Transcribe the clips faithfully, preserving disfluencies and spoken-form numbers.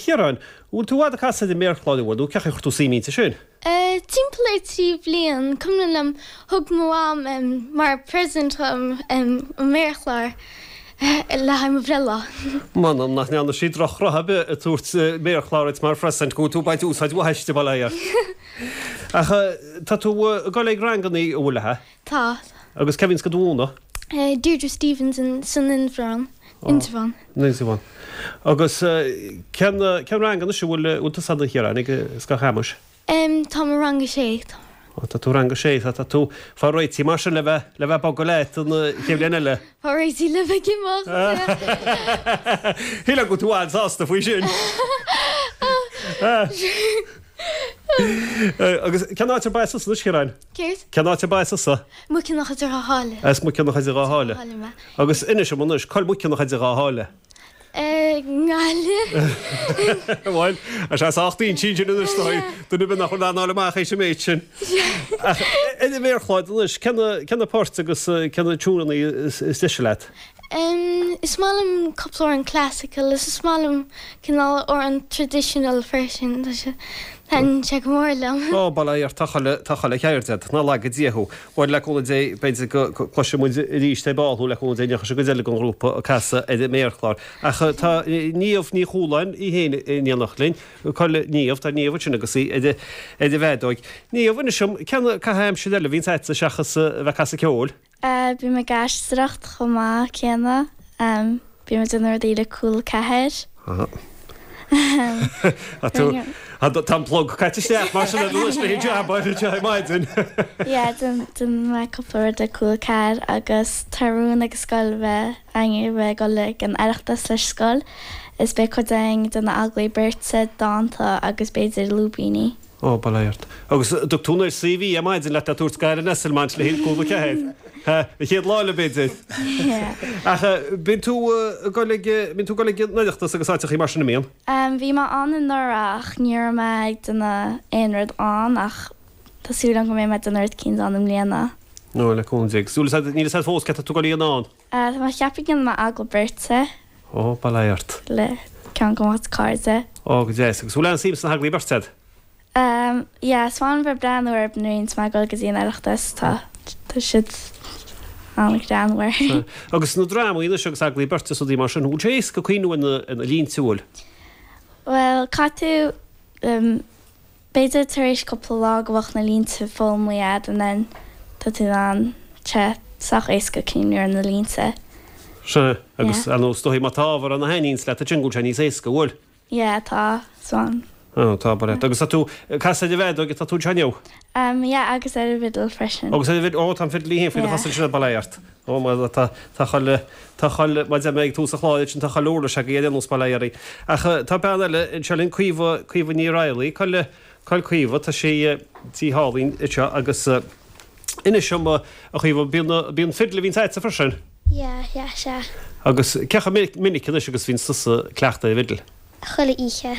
Chiaráin, bhfuil tú i bhfad ag casadh ar an méarchlár an bhfuil, nó cén chaoi ar chuir tú suim inti sin? Timpeall ar trí bhliain, cuimhin liom, thug mo mham mar present dhom an méarchlár le haghaidh mo bhreithlá. M'anam nach ndearna sí drochrud ar bith ag tabhairt méarchlár duit mar phresent, go bhfuil tú ag baint úsáid mhaith aisti, bail ó Dhia ort. Ach tá tú ag dul ag rangannaí an bhfuil, a? Tá. Agus cé a bhíonns do mhúineadh? Deirdre Stevens san Indreabhán. Indreabhán. Indreabhán. Agus cén cén rang anois a bhfuil bhfuil tusa ann a Chiaráin ag Scoil Chamuis? Táim i rang a sé. Tá tú rang a sé, tá tú fáil réitithe mar sin le bheith le bheith ag bogadh leat an chéad bhliain eile. Fáil réitithe le bheith ag imeacht. Shílfeá go bhfuil tú an-sásta faoi sin. Agus cén áit arb as tusa anois, Ciaráin? Céard? Cén áit arb as tusa? Maigh Cionnacha idir Dhá Sháile. As Maigh Cionnacha idir Dhá Sháile. Sháile mé. Agus inis dom anois, cá bhfuil Maigh Cionnacha idir Dhá Sháile? nGaillimh. Bhuel, tá sé sách inti sin anois dóigh, duine ar bith nach bhfuil in ann a fháil amach théis an méid sin. Ach ar an mhéarchlár anois, cé na, cé na poirt agus cé na tiúineanna is deise leat? Is maith liom cúpla amhrán classical is is maith liom cineál amhrán traditional freisin, tá sé, taitníonn sé go mór liom. Ó, bail ó Dhia ort, tá chuile, tá chuile cheird agat, ná laga Dia thú. Bhuel, le cúnamh Dé, b'fhéidir go gcloisfidh muid arís ar ball thú, le cúnamh Dé, ní rachaidh sé cuid eile den ghrúpa ag casadh ar an méarchlár. Ach tá Niamh Ní Chualáin í féin in éineacht linn. Cá bhfuil Niamh, tá Niamh ansin agus í ar an bhfeadóig. Niamh, inis dom, cén caitheamh aimsire eile a bhíonns agatsa seachas a bheith ag casadh ceoil? Bím ag aisteoireacht chomh maith céanna. Bím ag déanamh rudaí le Cúla Ceathair. Tá an plug caite isteach mar sin anois le hijab anseo ar maidin. Yeah, déanann mé cúpla rud le Cúla Ceathair agus tá rún ag an scoil bheith againn bheith ag dul ag an Oireachtas leis scoil is beidh cuid againn ag déanamh agallaimh beirte, dánta agus b'fhéidir lúibíní. Ó, bail ó Dhia ort. Agus an dtug tú an CV ar maidin leat le tabhairt go Alan Esslemont le haghaidh Cúla Ceathair? Ha, an chéad lá eile b'fhéidir. Ach bíonn tú ag dul ag, bíonn tú ag dul ag an Oireachtas agus áiteachaí mar sin, an mbíonn? Bhí mé ann anuraidh ach ní raibh mé ag déanamh aon rud ann ach tá súil agam go mbeidh mé ag déanamh rud eicínt ann i mbliana. Ó, le cúnamh Dé. Agus níl a fhios agat fós céard atá tú ag dul a dhéanamh ann? Tá mé ag ceapadh go ndéanfaidh mé agallamh beirte. Ó, bail ó Dhia ort. Le ceann de mo chuid cairde. Ó, go deas. Agus bhfuil aon suim sna hagallaimh beirte agat? Umm, yeah, is maith liom bheith ag breathnú orthu nuair a bhíonns mé ag dul go dtí an Oireachtas, tá, tá siad an-ghreannmhar. Agus na drámaí anois agus agallaimh beirte is rudaí mar sin, bhfuil sé éasca cuimhniú ar na, ar na línte, bhfuil? Bhuel, caithfidh tú, umm, b'fhéidir tar éis cúpla lá go bheadh na línte foghlamtha agat and then tá tú in ann, tá sé sách éasca cuimhniú ar na línte. Sea, agus ar ndóigh is dóigh má tá ábhar ann a thaitníonns leat ansin go bhfuil sé níos éasca, bhfuil? Yeah, tá, so. Oh, tá, bail ort. Agus tá tú ag casadh ar an bhfeadóg atá tú anseo inniu? Um, yeah, agus ar an bhfidil freisin. Agus ar an bhfidil, oh, tá an fidil í féin faoi do chosa ansin, bail ort. Oh, mar tá, tá chuile, tá chuile, mar a deir mé ag tús an chláir ansin, tá chuile uirlis agaibh ar aon nós, bail ó Dhia oraibh. Ach tá bean eile anseo linn, Caoimhe, Caoimhe Ní Raghallaigh, cá bhfuil, cá bhfuil Caoimhe, tá sí, sí thall anseo agus inis dom, a Chaoimhe, bíonn, bíonn fidil a bhíonns agatsa freisin? Yeah, yeah, sea. Agus cé chomh minic anois agus bhíonns tusa ag cleachtadh ar an bhfidil? Chuile oíche.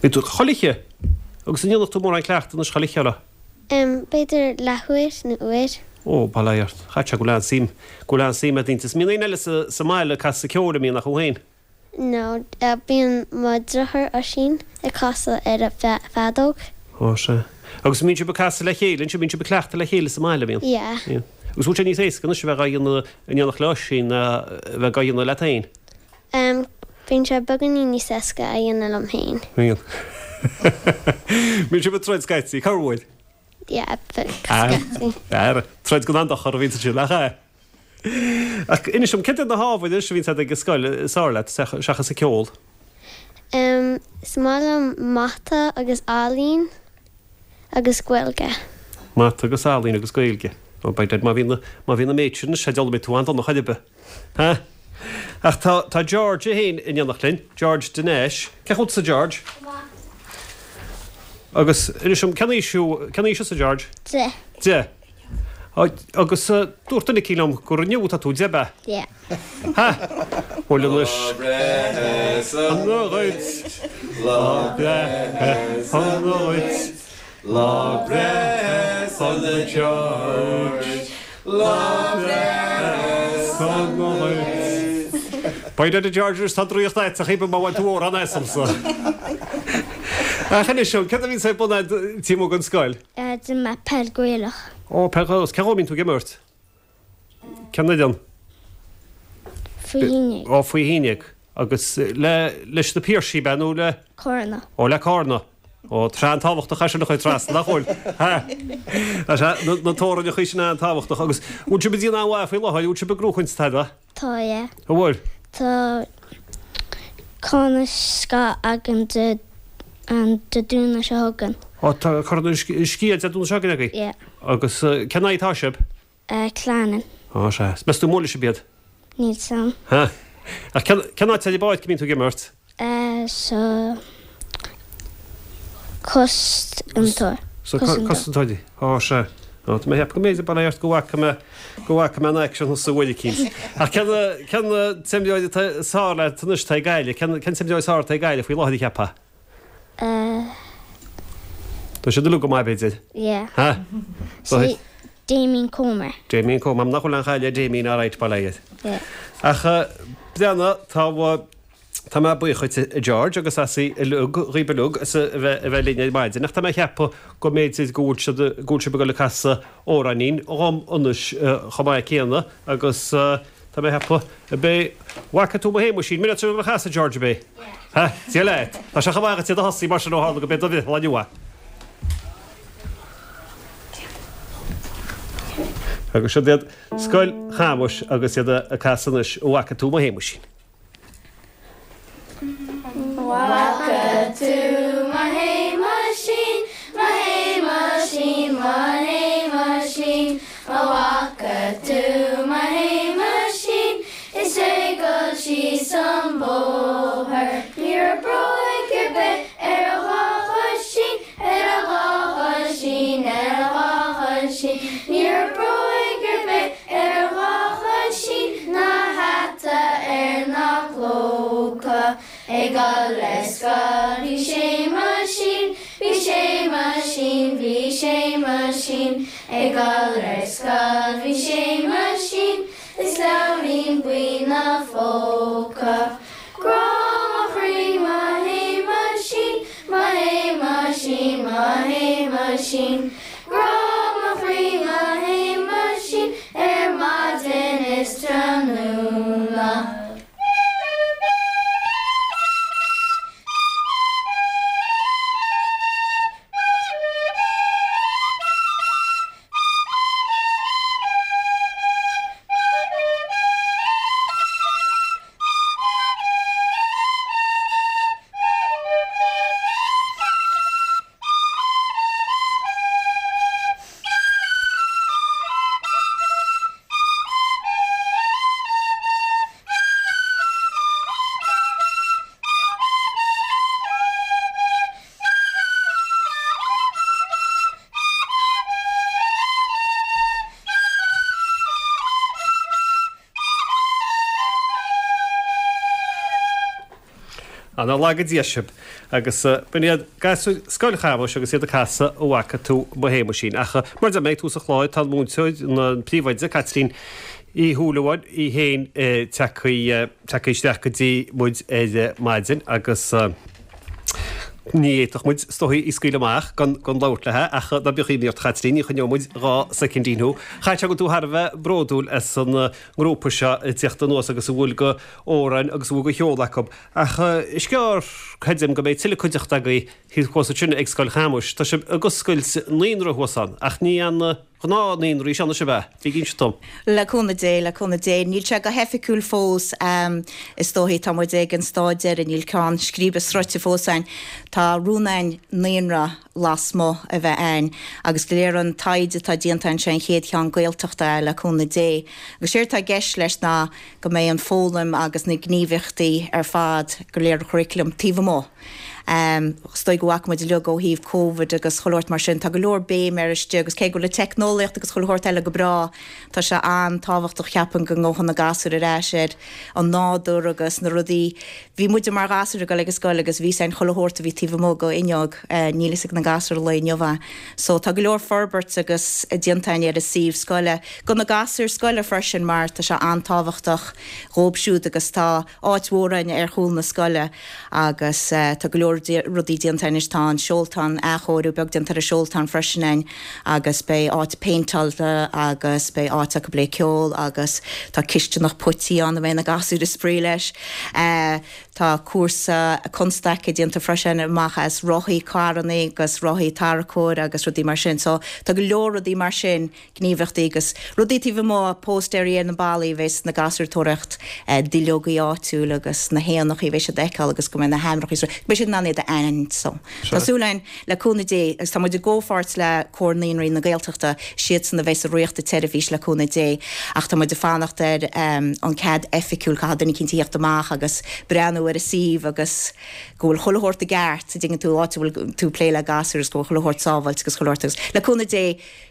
Bíonn tú chuile oíche? Agus an ndéanann tú mórán cleachtaidh anois chuile oíche, an ea? Em, b'fhéidir leathuair nó uair. Ó, bail ó Dhia ort. Chaithfeadh sé go bhfuil an-suim, go bhfuil an-suim agat inti. Is mbíonn éinne eile sa, sa mbaile ag casadh ceoil, an mbíonn, ach thú féin? No, bíonn mo dheartháir Oisín ag casadh ar an bhfeadóg. Ó, sea. Agus an mbíonn sibh ag casadh le chéile ansin, bíonn sibh ag cleachtadh le chéile sa mbaile, an mbíonn? Yeah. Bíonn. Agus bhfuil sé níos éasca anois a bheith dhá dhéanamh in éineacht le Oisín ná a bheith dhá dhéanamh leat féin? Em, bíonn sé beagáinín níos éasca a dhéanamh liom féin. Bíonn. Bíonn sibh ag troid scaití, corruair? Yeah, scaití. Ara, troid gan aon dochar a bhíonn ansin, nach ea? Ach inis dom, céard iad na hábhair anois a bhíonns agat ag an scoil is fearr leat, seachas an ceol? Em, is maith liom mata agus ealaín agus Gaeilge. Mata agus ealaín agus Gaeilge. Ó, by dad, má bhíonn, má bhíonn an méid sin, sea, d'fhoghlaim tú an-dona chor ar bith. Ha? Ach tá, tá George é féin in éineacht linn, George de Nais. Cén chaoi a bhfuil tusa George? Go maith. Agus inis dom, cén aois thú, cén aois thusa George? Deich. Deich. Agus dúirt duine eicínt liom gur inniu atá tú deich, ab ea? Yeah. Ha! Bhuel anois. Lá breithe sona dhuit, lá breithe sona dhuit, lá breithe sona George, lá breithe sona dhuit. By the George tá draíocht agat a chéip má bhain tú amhrán asamsa. Ach anois seo, cad a bhíonn ar bun agat taobh amuigh den scoil? D'imir mé peil Gaelach. Ó, peil Gaelach. Cén dhó a mbíonn tú ag imirt? Cén fhoireann? Faoi haon déag. Ó, faoi haon déag. Agus le, leis na Piarsaigh, ab ea, nó le? Cárna. Ó, le Cárna. Ó, tráth an-tábhachtach é sin a chur trasna, nach bhfuil? Ha! Tá sé, na, na teorainneacha sin an-tábhachtach. Agus bhfuil sibh ag déanamh an-mhaith faoi láthair, bhfuil sibh ag gnóchaint tada? Tá, yeah. An bhfuil? Tá Corn na Scáth againn Dé Domhnaigh seo chugainn. Ó, tá Corn na Sciath Dé Domhnaigh seo chugainn agaibh? Yeah. Agus cén aghaidh atá sibh? Clannan. Ó, sea. Is meas tú an mbuailfidh sibh iad? Níl 's a'm. Ha. Ach cén cén áit ar an bpáirc a mbíonn tú ag imirt? Sa cosantóir. Sa cosantóirí. Ó, sea. Ó, tá mé ag ceapadh go mb'fhéidir bail ó Dhia ort go bhfaca mé go bhfaca mé an aicsean thusa uair eicínt. Ach cén cén t-imreoir atá is fearr leat anois atá ag Gaillimh? Cén cén t-imreoir is fearr atá ag Gaillimh faoi láthair a cheapfá? Eh. Tá siad uilig go maith b'fhéidir. Yeah. Ha? Sí, Damien Comer. Damien Comer, nach bhfuil aon chaill ar Damien alright bail ó Dhia air. Yeah. Ach breathnaigh tá Tá mé buíoch dhuit a George agus as uilig, dhaoibh uilig as a bheith a bheith linn ar maidin ach tá mé ag ceapadh go mb'fhéidir go bhfuil siad go bhfuil sibh ag dul ag casadh amhráinín dhom anois chomh maith céanna agus tá mé ag ceapadh ab é 'Bhfaca tú mo Shéamuisín, mire tú ag dul a chasadh George ab é? Ha? Dia leat. Tá sé chomh maith agat iad a thosaí mar sin ó tharla go b'é do bhreithlá inniu é. Agus siod iad Scoil Chamuis agus iad ag casadh anois 'Bhfaca tú mo Shéamuisín. Bhfaca tú mo Shéamuisín, mo Shéamuisín, mo Shéamuisín, An bhfaca tú mo Shéamuisín is é ag dul síos an bóthar. Ní raibh bróig ar bith ar a dhá choisín, ar a dhá choisín, ar a dhá choisín, Ní raibh bróig ar bith ar a dhá choisín ná hata air ná clóca. Ag dul ar scoil bhí Séamuisín, bhí Séamuisín, bhí Séamuisín. Ag dul ar scoil bhí Séamuisín is leabhairín buí 'na phóca. Grá mo chroí mo Shéamuisín, mo Shéamuisín, mo Shéamuisín. Grá mo chroí mo Shéamuisín ar maidin is tráthnóna. Nár laga Dia sibh. Agus b'in iad gasúir Scoil Chamuis agus iad ag casadh An bhfaca tú mo Shéamuisín. Ach mar a deir mé ag tús an chláir, tá an múinteoir, an príomhoide, Caitlín Uí Shúilleabháin í féin tagtha isteach go dtí muid ar maidin agus ní fhéadfadh muid is dóigh í a scaoileadh amach gan gan labhairt léi ach ná bíodh imní ort a Chaitlín, ní choinneoidh muid dhá soicindín thú. Chaithfeadh sé go bhfuil tú thar a bheith bródúil as an ngrúpa seo ag tíocht anuas agus a bhfuil de amhráin agus a bhfuil de cheol acu. Ach is gearr, creidim, go mbeidh tuilleadh cuideachta agaibh thuas ansin ag Scoil Chamuis. Tá sibh ag oscailt naíonra thuas ann ach ní an gnáth naíonra í seo anois ab ea? Bígí ag inse dom. Le cúnamh Dé, le cúnamh Dé. Níl sé go hoifigiúil fós, is dóichí. Tá muid ag an stáid deiridh, níl ceann scríbe sroichte fós againn. Tá rún againn naíonra lasmuigh a bheith againn agus de réir an taighde atá déanta againn sé an chéad cheann Gaeltachta é, le cúnamh Dé. Agus séard atá i gceist leis ná go mbeidh an foghlaim agus na gníomhaíochtaí ar fad go léir an churaclaim taobh amuigh. Is dóigh go bhfaca muid uilig ó thaobh Covid agus chuile shórt mar sin, tá go leor béim ar istigh agus cé go bhfuil an teicneolaíocht agus chuile shórt eile go breá, tá sé an-tábhachtach cheapfainn go ngabhfadh na gasúir ar ais ar an nádúr agus na rudaí. Bhí muide mar ghasúir ag dul ag an scoil agus bhí a fhios againn chuile shórt a bhí taobh amuigh go fhuinneog, níl a fhios ag na gasúir an lae inniu é. So tá go leor forbairt agus déanta againn ar an suíomh scoile, go na gasúir scoile freisin mar tá sé an-tábhachtach dhóibh siúd agus tá áit mhór againn ar chúl na scoile agus tá go leor rudaí déanta anois, tá an seoltán, athchóiriú beag déanta ar an seoltán freisin againn agus beidh áit péinteáilte agus beidh áit acu le ceol agus tá cisteanach puití ann a mbeidh na gasúir ag spraoi leis. Tá cúrsa constaice déanta freisin amach as rothaí carrannaí agus rothaí tarracóir agus rudaí mar sin. So tá go leor rudaí mar sin, gníomhaíochtaí agus rudaí taobh amuigh, póstaeirí ar na ballaí a bheas na gasúir ag tóraíocht duilleogaí áitiúil agus na héanachaí a bheidh siad a fheiceáil agus go mbeidh na hainmneacha go mbeidh siad in ann iad a aithint. So tá súil againn le cúnamh Dé agus tá muid i gcomhpháirt le Comhar Naíonraí na Gaeltachta, siadsan a bheas ag reáchtáil an tseirbhís le cúnamh Dé ach tá muid ag fanacht ar an cead oifigiúil, caithfidh duine eicínt a theacht amach agus breathnú ar an suíomh agus go bhfuil chuile shórt i gceart, an dtuigeann tú, áit a bhfuil tú ag plé le gasúir agus go bhfuil chuile shórt sábháilte agus chuile shórt agus le cúnamh Dé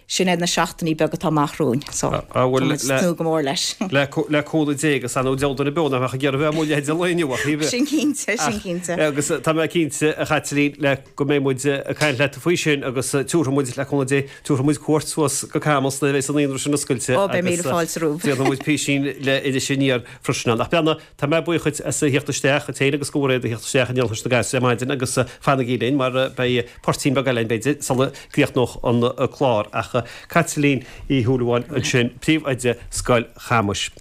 sin é na seachtainí beaga atá amach romhainn so tá muid ag tnúth go mór leis. Le cúnamh Dé agus ar ndóigh deabhal duine beo nach mbeadh ag iarraidh bheith amuigh leithéid an lae inniu ach ní Sin cinnte, sin cinnte. Agus tá mé cinnte, a Chaitlín, le go mbeidh muid ag caint leat faoi sin agus tabharfaidh muid, le cúnamh Dé, tabharfaidh muid cuairt suas go Camus nuair a bheas an naíonra sin oscailte Ó, beidh míle fáilte romhaibh. Déanfaidh muid písín le Iris Aniar freisin ann. Ach beanna, tá mé buíoch dhuit as a theacht isteach, duit féin agus do Mhairéad a theacht isteach in éineacht leis na gasúir ar maidin agus fanaigí linn mar beidh poirtín beag eile againn b'fhéidir sula gcríochnódh an clár. Ach Caitlín Uí Shúilleabháin ansin, Príomhoide Scoil Chamuis.